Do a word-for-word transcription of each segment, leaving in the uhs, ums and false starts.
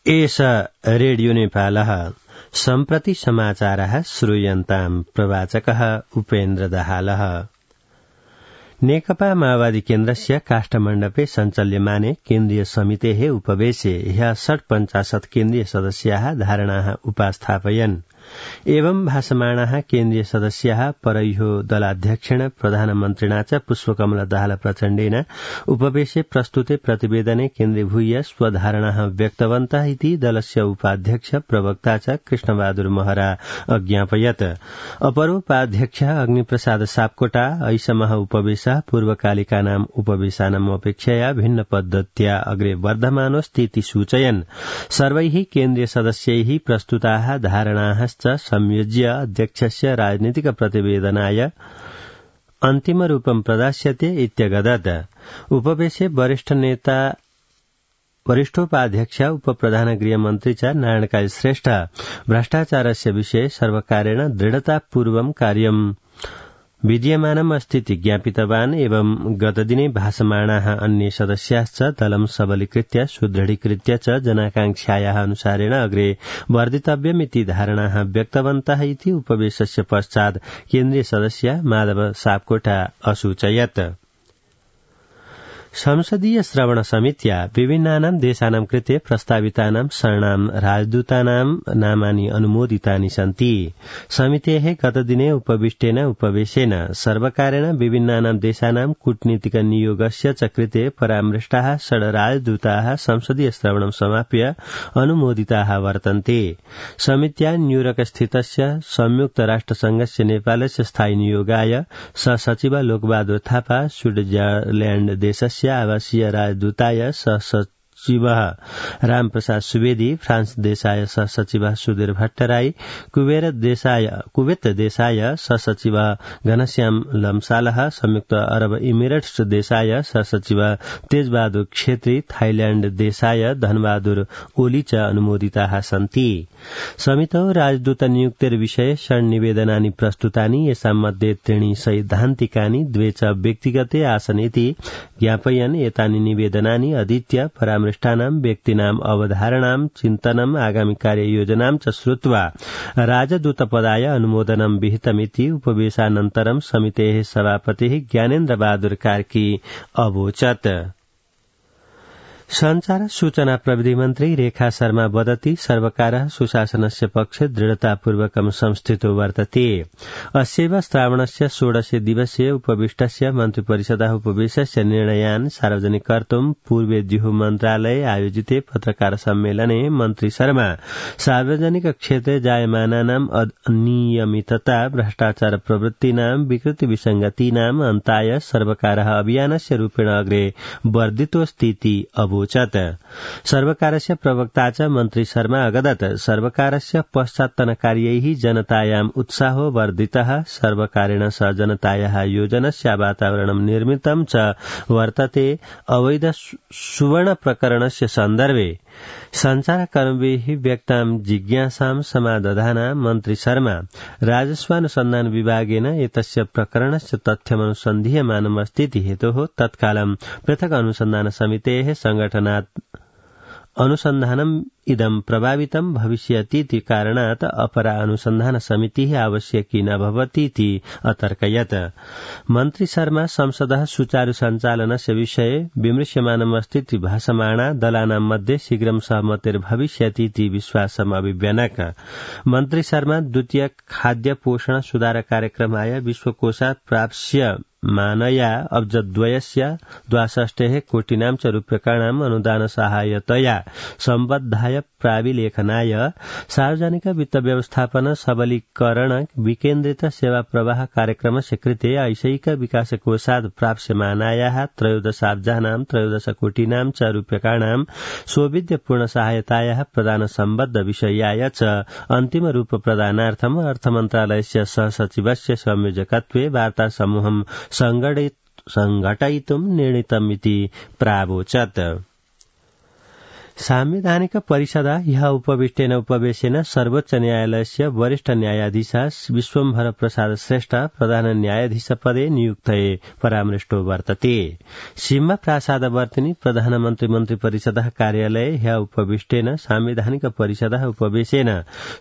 एष रेडियो नेपालः सम्प्रति समाचारः श्रूयन्ताम् प्रवाचकः उपेन्द्र दाहालः। नेकपा माओवादी केन्द्रस्य काष्ठमण्डपे सञ्चाल्यमाने केन्द्रीय समितेः उपवेशे ह्यः षट्पञ्चाशत् केन्द्रीय सदस्याः धारणाः उपास्थापयन्। एवं भाषमाणाः केन्द्रीय सदस्याः परैहो दलाध्यक्षेण प्रधानमन्त्रिणा च पुष्पकमल दाहाल प्रचण्डेन उपवेशे प्रस्तुते प्रतिवेदने केन्द्रीभूय स्वधारणाः व्यक्तवन्तः इति दलस्य उपाध्यक्ष प्रवक्ता च कृष्णबहादुर महरा अज्ञापयत्। अपरोपाध्यक्षः अग्निप्रसाद सापकोटा ऐषमः उपवेशः पूर्वकालिकानाम् उपवेशानाम् अपेक्षया भिन्न पद्धत्या अग्रे वर्धमानोऽस्तीति सूचयन्। सर्वैः केन्द्रीय सदस्यैः प्रस्तुताः धारणाः संयोज्य अध्यक्षस्य राजनीतिक प्रतिवेदनाय अन्तिम रूपं प्रदास्यते इत्यगदत्। उपवेशे वरिष्ठ नेता वरिष्ठोपाध्यक्ष उपप्रधान गृहमन्त्री च नारायणकाली श्रेष्ठ भ्रष्टाचारस्य विषये सर्वकारेण दृढतापूर्वं कार्यं विद्यमानम् अस्तीति ज्ञापितवान्। एवं गतदिने भाषमाणाः अन्ये सदस्याश्च दलं सबलीकृत्य सुदृढीकृत्य च जनाकांक्षायाः अनुसारेण अग्रे वर्धितव्यमिति धारणाः व्यक्तवन्तः इति उपवेशस्य पश्चात् केन्द्रीय सदस्य माधव सापकोटा असूचयत्। संसदीय श्रवण समित्या विभिन्नानां देशानां कृते प्रस्तावितानां शरणां राजदूतानां नामानि अनुमोदितानि सन्ति। समितेः गतदिने उपविष्टेन उपवेशेन सर्वकारेण विभिन्नानां देशानां कूटनीतिक नियोगस्य च कृते परामृष्टाः षड् राजदूताः संसदीय श्रवणं समाप्य अनुमोदिताः वर्तन्ते। समित्या न्यूयॉर्क स्थितस्य संयुक्त राष्ट्रसंघस्य नेपालस्य स्थायी नियोगाय सहसचिव लोकबहादुर थापा, स्विट्जरल्याण्ड देशस्य आवासीय राजदूताय सहसचिवः रामप्रसाद सुवेदी, फ्रांस देशाय सहसचिवः सुधीर भट्टराई, कुवेत देशाय कुवेत देशाय सहसचिवः घनश्याम लम्सालः, संयुक्त अरब इमिरेट्स देशाय सहसचिवः तेजबहादुर छेत्री, थाईलैण्ड देशाय धनबहादुर ओली च अनुमोदिताः सन्ति। समितौ राजदूत नियुक्तिर्विषये षड्निवेदनानि प्रस्तुतानि, येषां मध्ये त्रीणि सैद्धान्तिकानि, द्वे च व्यक्तिगते आसन् इति ज्ञापयन्। एतानि निवेदनानि अधीत्य परामृष्टानां व्यक्तीनाम् अवधारणां चिन्तनम् आगामि कार्ययोजनां च श्रुत्वा राजदूतपदाय अनुमोदनं विहितमिति उपवेशानन्तरं समितेः सभापतिः ज्ञानेन्द्र बहादुर कार्की अवोचत्। संचार सूचना प्रविधि मन्त्री रेखा शर्मा वदति सर्वकारः सुशासनस्य पक्षे दृढतापूर्वकं संस्थितो वर्तते। अस्यैव श्रावणस्य षोडशे दिवसीय उपविष्टस्य मन्त्रिपरिषदः उपवेशस्य निर्णयान् सार्वजनिक कर्तुं पूर्वेद्युः मन्त्रालये आयोजिते पत्रकार सम्मेलने मन्त्री शर्मा सार्वजनिक क्षेत्रे जायमानानाम् अनियमितता, भ्रष्टाचार प्रवृत्तीनां, विकृति विसंगतीनाम् अन्ताय सर्वकारः अभियानस्य रूपेण अग्रे वर्धितोऽस्तीति अवोचत्। सर्वकारस्य प्रवक्ता च मन्त्री शर्मा अगदत्। सर्वकारस्य पश्चात्तनकार्यैः जनतायाम् उत्साहो वर्धितः। सर्वकारेण स जनतायाः योजनस्य वातावरणं निर्मितं च वर्तते। अवैध सुवर्ण प्रकरणस्य सन्दर्भे संचारकर्मभिः व्यक्तां जिज्ञासां समादधाना मन्त्री शर्मा राजस्वानुसन्धान विभागेन एतस्य प्रकरणस्य तथ्यमनुसन्धीयमानमस्तीति हेतोः तत्कालं पृथक् अनुसन्धान समितेः संगठनात् अनुसन्धानम् इदं प्रभावितं भविष्यतीति कारणात् अपरा अनुसन्धान समितिः आवश्यकी न भवतीति अतर्कयत्। मन्त्री शर्मा संसदः सुचारु सञ्चालनस्य विषये विमृश्यमानमस्तीति भाषमाणा दलानां मध्ये शीघ्रं सहमतिर्भविष्यतीति विश्वासम् अभिव्यनक। मन्त्री शर्मा द्वितीय खाद्य पोषण सुधार कार्यक्रमाय विश्वकोशात् प्राप्स्य मानया अब्जद्वयस्य द्वाषष्टेः कोटिनां च रूप्यकाणाम् अनुदान सहायतया सम्बद्धाय प्राविलेखनाय सार्वजनिक वित्त व्यवस्थापन सबलीकरण विकेन्द्रित सेवा प्रवाह कार्यक्रमस्य कृते ऐशैक विकास कोषात् प्राप्स्यमानायाः त्रयोदशाब्जानां त्रयोदश कोटिनां च रूप्यकाणां सौविध्यपूर्ण सहायतायाः प्रदान सम्बद्ध विषयाय च अन्तिम रूप प्रदानार्थम् अर्थमन्त्रालयस्य सहसचिवस्य संयोजकत्वे वार्ता समूहं संघटयितुं निर्णीतमिति प्रावोचत्। सांविधानिक परिषद ह्यः उपविष्टेन उपवेशेन सर्वोच्च न्यायालयस्य वरिष्ठ न्यायाधीश विश्वम्भर प्रसाद श्रेष्ठ प्रधान न्यायाधीशपदे नियुक्तये परामृष्टो वर्तते। सिंह प्रासादवर्तिनी प्रधानमन्त्री मन्त्री परिषदः कार्यालये ह्यः उपविष्टेन सांविधानिक परिषदः उपवेशेन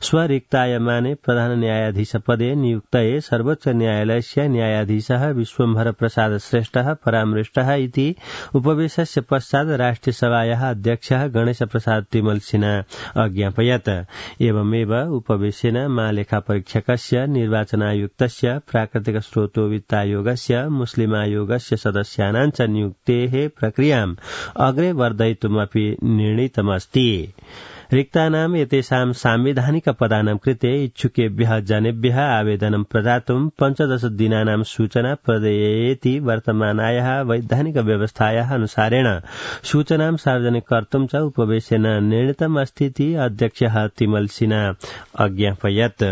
स्वरिक्तायमाने प्रधान न्यायाधीशपदे नियुक्तये सर्वोच्च न्यायालयस्य न्यायाधीशः विश्वम्भर प्रसाद श्रेष्ठः परामृष्टः इति उपवेशस्य पश्चात् राष्ट्रियसभायाः अध्यक्षः गणेश प्रसाद तिमल सिन्हा अज्ञापयत्। एवमेव उपवेशेन महालेखापरीक्षकस्य निर्वाचनायुक्तस्य प्राकृतिक स्रोतो वित्तायोगस्य मुस्लिमायोगस्य सदस्यानां च नियुक्तेः प्रक्रियाम् अग्रे वर्धयितुमपि निर्णीतमस्ति। रिक्तानाम् एतेषां सांविधानिक पदानां कृते इच्छुकेभ्यः जनेभ्यः आवेदनं प्रदातुं पञ्चदश दिनानां सूचना प्रदेयेति वर्तमानायाः वैधानिक व्यवस्थायाः अनुसारेण सूचनां सार्वजनिक कर्तुं च उपवेशेन निर्णीतमस्तीति अध्यक्षः तिमल सिन्हा अज्ञापयत्।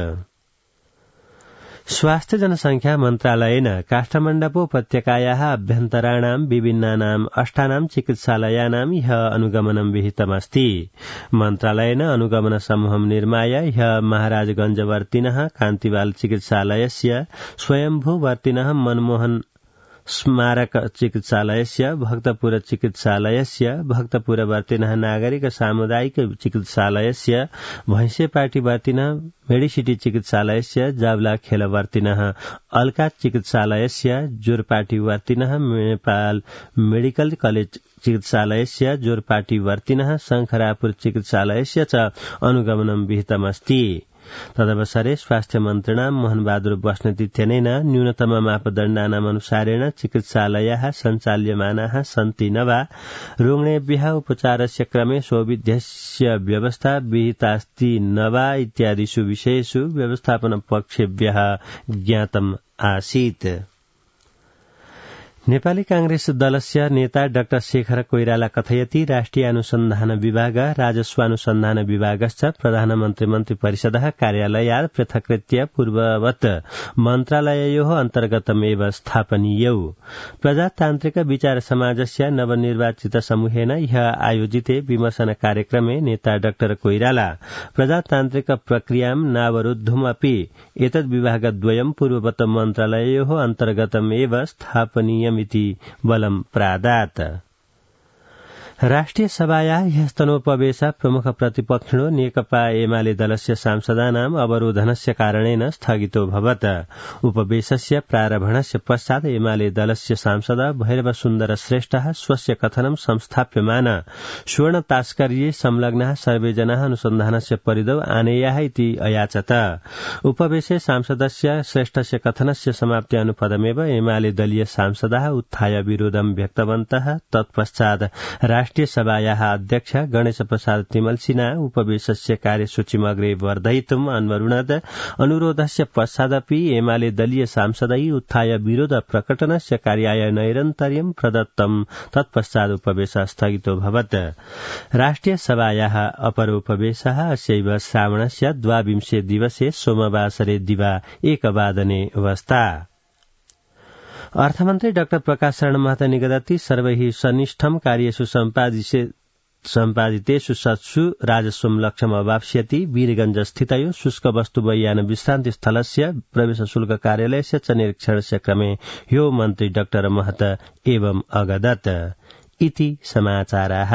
स्वास्थ्य जनसंख्या मन्त्रालयेन काष्ठमण्डप उपत्यकायाः अभ्यन्तराणां विभिन्नानाम् अष्टानां चिकित्सालयानां ह्यः अनुगमनं विहितमस्ति। मन्त्रालयेन अनुगमन समूहं निर्माय ह्यः महाराजगंजवर्तिनः कान्तिवाल चिकित्सालयस्य स्वयंभूवर्तिनः मनमोहन स्मारक चिकित्सालयस्य भक्तपुर चिकित्सालयस्य भक्तपुरवर्तिनः नागरिक सामुदायिक चिकित्सालयस्य भैंसेपाटीवर्तिनः मेडिसिटी चिकित्सालयस्य जावला खेलवर्तिनः अल्का चिकित्सालयस्य जोरपाटीवर्तिनः नेपाल मेडिकल कलेज चिकित्सालयस्य जोरपाटीवर्तिनः शंखरापुर चिकित्सालयस्य च अनुगमनं विहितमस्ति। तदवसरे स्वास्थ्य मन्त्रिणा मोहनबहादुर बस्नेतित्यनेन न्यूनतम मापदण्डानाम् अनुसारेण चिकित्सालयाः सञ्चाल्यमानाः सन्ति न वा रुग्णेभ्यः उपचारस्य क्रमे सौविध्यस्य व्यवस्था विहितास्ति न वा इत्यादिषु विषयेषु व्यवस्थापनपक्षेभ्यः ज्ञातम् आसीत्। नेपाली कांग्रेस दलस्य नेता डाक्टर शेखर कोइराला कथयति राष्ट्रिय अनुसन्धान विभाग राजस्वानुसन्धान विभागश्च प्रधानमन्त्री मन्त्री परिषदः कार्यालयात् पृथक्कृत्य पूर्ववत् मन्त्रालययोः अन्तर्गतमेव स्थापनीयौ। प्रजातान्त्रिक विचार समाजस्य नवनिर्वाचित समूहेन ह्यः आयोजिते विमर्शन कार्यक्रमे नेता डाक्टर कोइराला प्रजातान्त्रिक प्रक्रियां नावरुद्धुमपि एतद् विभागद्वयं पूर्ववत् मन्त्रालययोः अन्तर्गतमेव स्थापनीयम् इति बलं प्रादात्। राष्ट्रिय सभायाः ह्यस्तनोपवेश प्रमुख प्रतिपक्षिणो नेकपा एमाले दलस्य सांसदानाम् अवरोधनस्य कारणेन स्थगितोऽभवत्। उपवेशस्य प्रारम्भणस्य पश्चात् एमाले दलस्य सांसद भैरव सुन्दर श्रेष्ठः स्वस्य कथनं संस्थाप्यमान स्वर्ण तास्कर्ये संलग्नाः सर्वे जनाः अनुसन्धानस्य परिधौ आनेयाः इति अयाचत। उपवेशे सांसदस्य श्रेष्ठस्य कथनस्य समाप्त्यानुपदमेव एमाले दलीय सांसदाः उत्थाय विरोधं व्यक्तवन्तः। तत्पश्चात् राष्ट्रिय सभायाः अध्यक्ष गणेश प्रसाद तिमल सिन्हा उपवेशस्य कार्यसूचीम् अग्रे वर्धयितुम् अन्वरुणत्। अनुरोधस्य पश्चादपि एमाले दलीय सांसदै उत्थाय विरोध प्रकटनस्य कार्याय नैरन्तर्यं प्रदत्तम्। तत्पश्चात् उपवेशः स्थगितोऽभवत्। राष्ट्रिय सभायाः अपरोपवेशः अस्यैव श्रावणस्य द्वाविंशे दिवसे सोमवासरे दिवा एकवादने अवस्था। अर्थमन्त्री डाक्टर प्रकाश शरण महतो निगदति सर्वैः सनिष्ठं कार्येषु सम्पादितेषु सत्सु राजस्वं लक्ष्यम् अवाप्स्यति। वीरगंज स्थितयो शुष्क वस्तु वैयान विश्रान्ति स्थलस्य प्रवेश शुल्क कार्यालयस्य च निरीक्षणस्य क्रमे ह्यो मन्त्री डाक्टर महतो एवं अगदत् इति समाचाराः।